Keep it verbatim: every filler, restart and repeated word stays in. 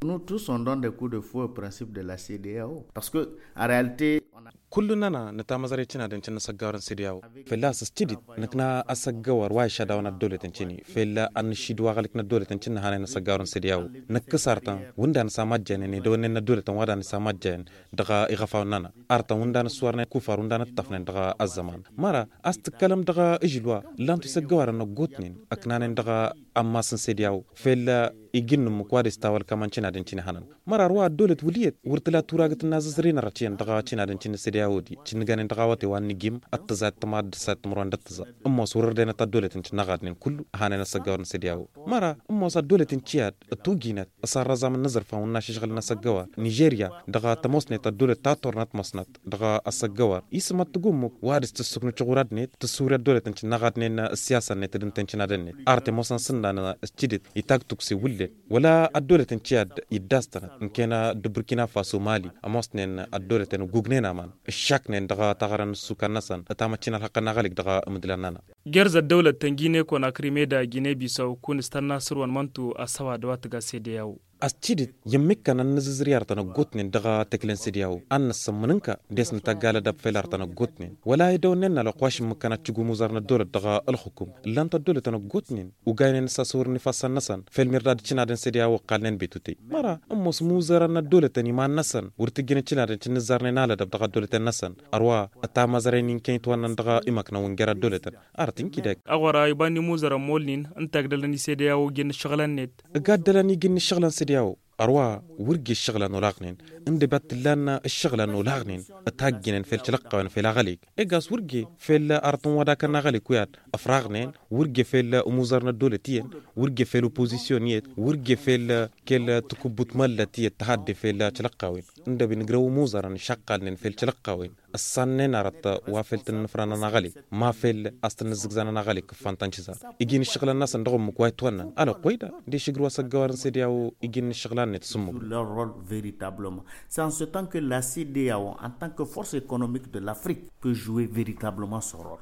Nous tous on donne des coups de fouet au principe de la cdao parce que en realite. Kull-nănăɣ nǝtamăẓrăy cinadăn cǝnnă săggawărăn cdao. Fălla-s s-tidit nǝkna asăggawăr wa išadawăn ăddăwlătăn cǝnni fălla-s ad-nǝššidǝw aɣălik n-ăddăwlătăn cǝnnă hanăyăn asăggawărăn cdao. Nǝkkǝs artăn wǝnda nǝsamajjăyăn n-edăwănnen n-ăddăwlătăn wa d-ad-nǝsamajjăyăn dăɣ-iɣăfawăn-nănăɣ. Artăn wǝnda nǝssărnen kufar wǝnda nǝṭṭăfnen dăɣ-ăzzăman măra a-s tǝkkălăm dăɣ-ažǝl wa ǝllan-tu isăggăwarăn ăggootnen ăknanen dăɣ-ammas n-sediyawo. Fel iji n-ǝmmǝk wa dăɣ-s tawălkămăn cinadăn cini hănăn măra ar wa ăddolăt wǝl iyyăt wăr tǝla turagǝt n-azǝzrin ărăt iyyăn dăɣ-cinadăn cini n-sediyawo-di. Cǝnnǝgănen dăɣ-awăte wa n-nǝjjim ăttăẓa d-tǝmad d-ăssayăt timǝrwen d-ăttăẓa. Ǝmmos wăr-ărdăynăt ăddolăten cǝnnăɣadnen kullu ăhanen ăssăggawăr n-sediyawo. Măra ǝmmos ăddolăten ciyad ătuginăt s-arrăẓam n-inǝẓrǝfan wǝnnaš ǝžɣǝl n-asăggăwar nižerya dăɣ-tămoosnet ăddolăt ta turrăn ătmăsnăt dăɣ-asăggăwar isǝm ad-tǝgǝmmǝk wa dăɣ-s tǝssǝknu căɣur ad-net tǝssuri ăddolăt n-cǝnnăɣ ad-net ǝssiyasăn-net d-ǝnta n-cǝnnăɣ ad-net. Ar tămoosăn s-ǝnnan s-tidǝt itag tukse wǝllen wăla ăddolăt n-ciyad iddastănăt n-kena d-burkina faso mali ămoosnen ăddolăt n-ăggugnen aman ǝššaknen dăɣ-taɣărăn n-ǝssukan-năsăn. Tamăccin ălxăqqăn n-aɣălik dăɣ-imǝdlan-nănăɣ. Gerz ăddăwlăt ta n-gine-konakri meda gine-bisaw kun-s tănna săr-wăn măntu ăssăwad wa tǝga sediyawo. A-s tidǝt i-ămmikkăn ad-nǝzǝzrǝy arătăn ăggootnen dăɣ-tekle n-sediyawo ad-năssămmǝn ǝnka. Des nǝtagg alădab fel arătăn ăggootnen wăla edăwănnen n-alăqwaš ǝmmǝkkăn ad-tǝjǝw imuzărăn ăddolăt dăɣ-ǝlxǝkum ǝllan-t ăddolătăn ăggootnen. Ogaynen s-asăwărăn ifassăn-năsăn fel mirda d-cǝnadăn sediyawo ǝqqalnen betutey. Măra ǝmmos imuzărăn n-ăddolătăn iman-năsăn wăr t-ǝjjǝnăt cǝnadăn cǝnnǝzzarnen alădăb dăɣ-ăddolăten-năsăn. Ărwa ătamăẓrăyăn inkăy itwănnăn dăɣ-imăknăwăn jer-ăddolătăn. Arăt inkǝy dek. Aɣora iba n-imuzărăn molnin ǝnta ǝgdălăn isediyawo ǝjǝn ǝššăɣǝlăn-net. Ǝgaddălăn iji n-ǝššăɣǝlăn sediyawo. Ărwa wăr ge ǝššăɣǝlăn olaɣnen ǝndăb i-ad-t-ǝllan ǝššăɣǝlăn olaɣnen ătajjǝnen fel tilăqqawen fel aɣălik. Egas wăr ge fel arăt n-wădakăn n-aɣălik wi ad-ăfraɣnen wăr ge fel imuzărăn ăddolăt iyyăn wăr ge fel opozisyon iyyăt wăr ge fel kăl-tǝkubbut măllăt iyyăt tăhadde fel tilăqqawen. Ǝndăb inǝgrăw imuzărăn išăqqalnen fel tilăqqawen ǝssannen arăt wa fel tǝnnǝfrănăn aɣălik ma fel a-s tǝnnǝzzǝgzănăn aɣălik kǝffan tănšǝzar. Iji n-ǝššăɣǝlăn-năsăn dăɣ-ǝmmǝk wa itwănnăn alăqqoy da. De-š ǝgrǝw asăggăwar n-sediyawo iji n-ǝššăɣǝlăn-net s-ǝmmǝk. Leur rol veritablement c'est en ce temps que la cdao en tant que force économique de l'afrique peut jouer veritablement son rol.